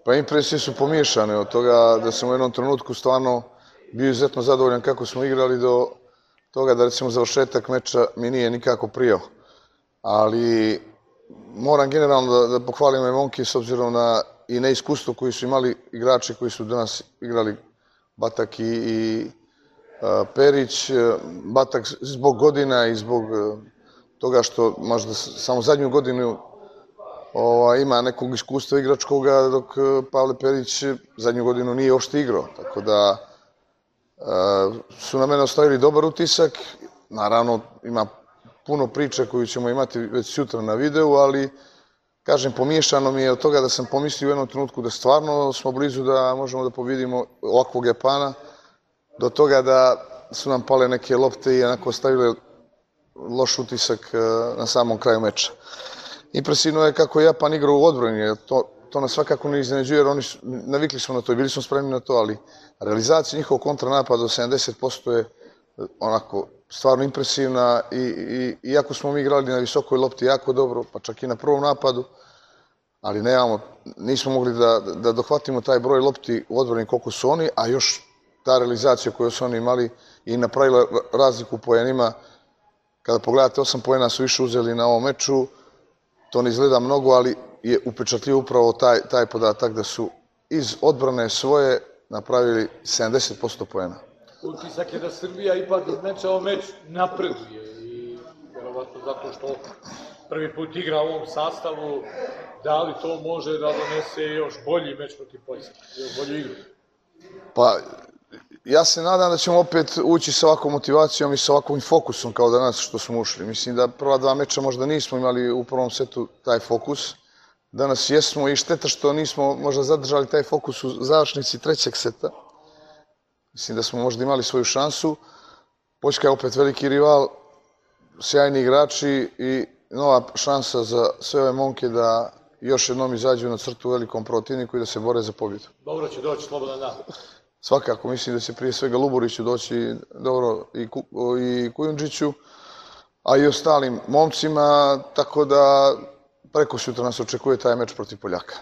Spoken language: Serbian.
Pa impresije su pomiješane od toga da sam u jednom trenutku stvarno bio izuzetno zadovoljan kako smo igrali do toga da recimo završetak meča mi nije nikako prijao. Ali moram generalno da pohvalim ove momke s obzirom na i neiskustvo koji su imali igrači koji su danas igrali, Batak i Perić. Batak zbog godina i zbog toga što možda samo zadnju godinu ima nekog iskustva igračkoga, dok Pavle Perić zadnju godinu nije uopšte igrao. Tako da su na mene ostavili dobar utisak. Naravno, ima puno priče koju ćemo imati već sutra na videu, ali kažem, pomiješano mi je od toga da sam pomislio u jednom trenutku da stvarno smo blizu da možemo da pobedimo ovakvog Japana, do toga da su nam pale neke lopte i onako ostavile loš utisak na samom kraju meča. Impresivno je kako je Japan igrao u odbrani, to nas svakako ne iznenađuje, jer navikli smo na to i bili smo spremni na to, ali realizacija njihovog kontranapada od 70% je onako stvarno impresivna i iako smo mi igrali na visokoj lopti jako dobro, pa čak i na prvom napadu, ali nismo mogli da dohvatimo taj broj lopti u odbrani koliko su oni, a još ta realizacija koju su oni imali i napravila razliku u poenima. Kada pogledate, 8 poena su više uzeli na ovom meču, to ne izgleda mnogo, ali je upečatljiv upravo taj podatak da su iz odbrane svoje napravili 70% poena. Utisak je da Srbija ipak iz meča o meč napreduje i verovatno zato što prvi put igra u ovom sastavu, da li to može da donese još bolji meč protiv Poljske, još bolju igru? Pa, ja se nadam da ćemo opet ući sa ovakvom motivacijom i sa ovakvim fokusom kao danas što smo ušli. Mislim da prva dva meča možda nismo imali u prvom setu taj fokus. Danas jesmo i šteta što nismo možda zadržali taj fokus u završnici trećeg seta. Mislim da smo možda imali svoju šansu. Poljska je opet veliki rival, sjajni igrači i nova šansa za sve ove momke da još jednom izađu na crtu u velikom protivniku i da se bore za pobjedu. Dobro će doći slobodan dan. Svakako, mislim da će prije svega Luburiću doći dobro i Kujundžiću, a i ostalim momcima, tako da preko sutra nas očekuje taj meč protiv Poljaka.